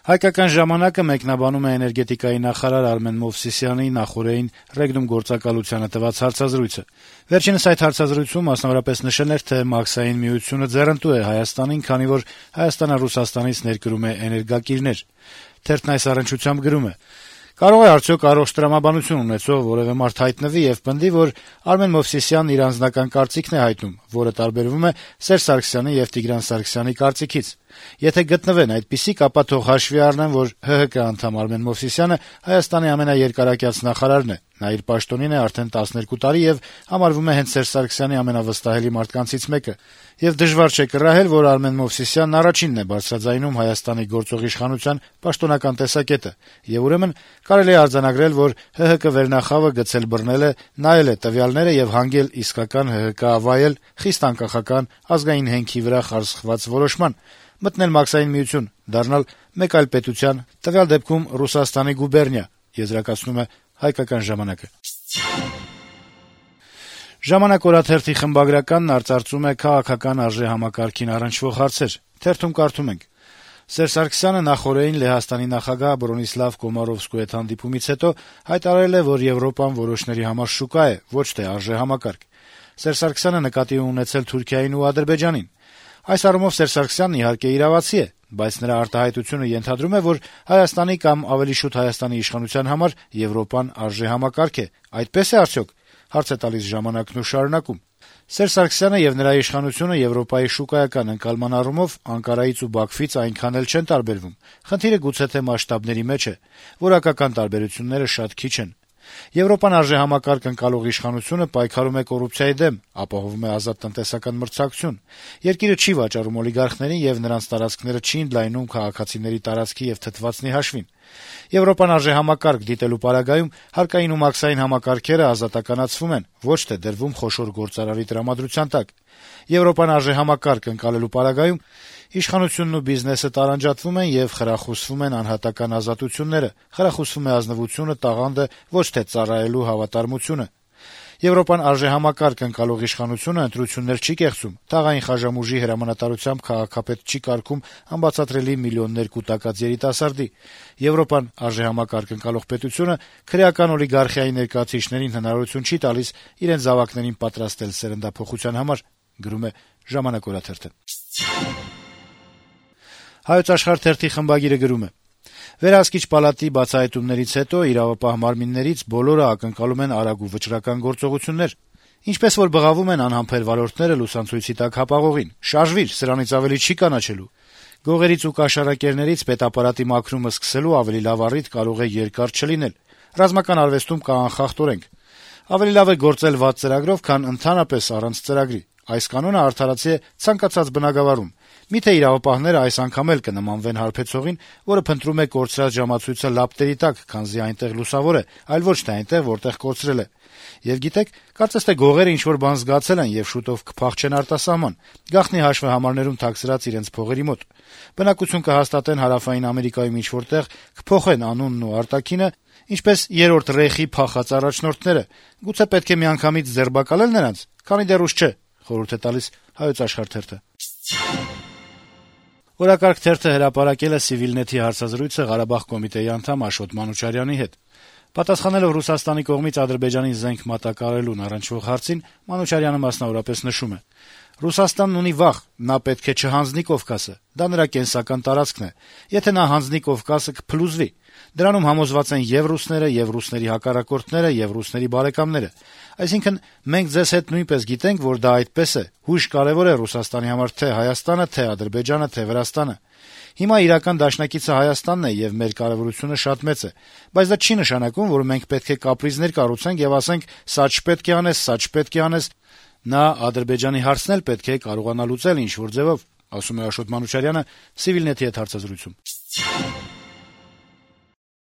Հայկական ժամանակը մեկնաբանում է էներգետիկայի նախարար Արմեն Մովսիսյանի նախօրեին Ռեգնում գործակալությանը տված հարցազրույցը։ Վերջինս այդ հարցազրույցում մասնավորապես նշել էր, թե Մաքսային միությունը ձեռնտու է Հայաստանին, քանի որ Հայաստանը Ռուսաստանից ներկրում է էներգակիրներ։ Թերթն այս առնչությամբ գրում է. «Կարող է արդյոք առողջ տրամաբանություն ունեցող որևէ մարդ հայտնվի եւ պնդի, որ Արմեն Մովսիսյանն իր անձնական կարծիքն է հայտնում, որը տարբերվում է Սերժ Սարգսյանի եւ Տիգրան Սարգսյանի կարծիքից։ Եթե գտնվեն այդպիսիք, ապա թող հաշվի առնեն, որ ՀՀԿ անդամ Արմեն Մովսիսյանը Հայաստանի ամենաերկարակյաց նախարարն է։ Նա իր պաշտոնին է արդեն 12 տարի եւ համարվում է հենց Սերժ Սարգսյանի ամենավստահելի մարդկանցից մեկը։ Եվ դժվար չէ կռահել, որ Արմեն Մովսիսյանն առաջինն է բարձրաձայնում Հայաստանի գործող իշխանության պաշտոնական տեսակետը, եւ ուրեմն կարելի է արձանագրել, որ ՀՀԿ վերնախավը գցել բռնել է, նայել է տվյալները եւ հանգել իսկական ՀՀԿ ավայել, խիստ անկախական, ազգային հենքի վրա խարսխված որոշման, մտնել Մաքսային միություն, դառնալ մեկ այլ պետության, տվյալ դեպքում Ռուսաստանի գուբերնիա», եզրակացնում է «Հայկական ժամանակը»։ «Ժամանակ» օրաթերթի խմբագրականն արծարծում է քաղաքական արժեհամակարգին առնչվող հարցեր։ Թերթում կարդում ենք. - Սերժ Սարգսյանը նախօրեին Լեհաստանի նախագահ Բրոնիսլավ Կոմարովսկու հետ հանդիպումից հետո հայտարարել է, որ Եվրոպան որոշների համար շուկա է, ոչ թե արժեհամակարգ։ Սերժ Սարգսյանը նկատի է ունեցել Թուրքիային ու Ադրբեջանին։ Այս առումով Սերժ Սարգսյանն իհարկե իրավացի է, բայց նրա արտահայտությունը ենթադրում է, որ Հայաստանի կամ ավելի շուտ Հայաստանի իշխանության համար Եվրոպան արժեհամակարգ է։ Այդպես է արդյոք, հարց է տալիս «Ժամանակն» ու շարունակում. - Սերժ Սարգսյանը եւ նրա իշխանությունը Եվրոպայի շուկայական ընկալման առումով Անկարայից ու Բաքվից այնքան էլ չեն տարբերվում։ Խնդիրը գուցե թե մասշտաբների մեջ է։ Որակական տարբերությունները շատ քիչ են։ Եվրոպան արժեհամակարգ ընկալող իշխանությունը պայքարում է կոռուպցիայի դեմ, ապահովում է ազատ տնտեսական մրցակցություն։ Երկիրը չի վաճառում օլիգարխներին եւ նրանց տարածքները չի ընդլայնում քաղաքացիների տարածքի եւ թթվածնի հաշվին։ Եվրոպան արժեհամակարգ դիտելու պարագայում հարկային ու մաքսային համակարգերը ազատականացվում են, ոչ թե դրվում խոշոր գործարարի տրամադրության տակ։ Եվրոպան արժեհամակարգ ընկալելու պարագայում իշխանությունն ու բիզնեսը տարանջատվում են եւ խրախուսվում են անհատական ազատությունները, խրախուսվում է ազնվությունը, տաղանդը, ոչ թե ծառայելու հավատարմությունը։ Եվրոպան արժեհամակարգ ընկալող իշխանությունը ընտրություններ չի կեղծում, թաղային խաժամուժի հրամանատարությամբ քաղաքապետ չի կարգում անբացատրելի միլիոններ կուտակած երիտասարդի։ Եվրոպան արժեհամակարգ ընկալող պետությունը քրեական օլիգարխիայի ներկայացուցիչներին հնարավորություն չի տալիս իրենց զավակներին պատրաստել սերնդափոխության համար, գրում է «Ժամանակ» օրաթերթը։ «Հայոց Աշխարհ» թերթի խմբագիրը գրում է. - Վերահսկիչ պալատի բացահայտումներից հետո իրավապահ մարմիններից բոլորը ակնկալում են արագ ու վճռական գործողություններ։ Ինչպես որ բղավում են անհամբեր վարորդները լուսանցույցի տակ հապաղողին. «Շարժվիր, սրանից ավելի չի կանաչելու»։ Գողերից ու կաշառակերներից պետապարատի մաքրումը սկսելու ավելի լավ առիթ կարող է երկար չլինել։ Ռազմական արվեստում կա անխախտ օրենք. ավելի լավ է գործել վատ ծրագրով, քան ընդհանրապես առանց ծրագրի։ Այս կանոնը արդարացի է ցանկացած բնագավառում։ Միթե իրավապահները այս անգամ էլ կնմանվեն հարբեցողին, որը փնտրում է կորցրած ժամացույցը լապտերի տակ, քանզի այնտեղ լուսավոր է, այլ ոչ թե այնտեղ, որտեղ կորցրել է։ Եվ գիտեք, կարծես թե գողերը ինչ-որ բան զգացել են եւ շուտով կփախչեն արտասահման, գաղտնի հաշվեհամարներում թաքցրած իրենց փողերի մոտ։ Բնակություն կհաստատեն Հարավային Ամերիկայում ինչ-որտեղ, կփոխեն անունն ու արտաքինը, ինչպես երրորդ ռեխի փախած առաջնորդները։ Գուցե պետք է միանգամից ձերբակալել նրանց, քանի դեռ ուշ չէ, խորհուրդ է տալիս «Հայոց Աշխարհ» թերթը։ Օրակարգ թերթը հրապարակել է Civilnet-ի հարցազրույցը Ղարաբաղ կոմիտեի անդամ Աշոտ Մանուչարյանի հետ։ Պատասխանելով Ռուսաստանի կողմից Ադրբեջանին զենք մատակարարելուն առնչվող հարցին, Մանուչարյանը մասնավորապես նշում է. - «Ռուսաստանն ունի վախ, նա պետք է չհանձնի Կովկասը, դա նրա կենսական տարածքն է։ Եթե նա հանձնի Կովկասը, կփլուզվի։ Դրանում համոզված են եւ ռուսները, եւ ռուսների հակառակորդները, եւ ռուսների բարեկամները։ Այսինքն, մենք ձեզ հետ նույնպես գիտենք, որ դա այդպես է։ Հույժ կարեւոր է Ռուսաստանի համար թե Հայաստանը, թե Ադրբեջանը, թե Վրաստանը։ Հիմա իրական դաշնակիցը Հայաստանն է եւ մեր կարեւորությունը շատ մեծ է, բայց դա չի նշանակում, որ մենք պետք է կապրիզներ կառուցենք եւ ասենք՝ սա չպետք է անես, սա չպետք է անես։ Նա Ադրբեջանի հարցն էլ պետք է կարողանա լուծել ինչ-որ ձևով», ասում է Աշոտ Մանուչարյանը Civilnet-ի հետ հարցազրույցում։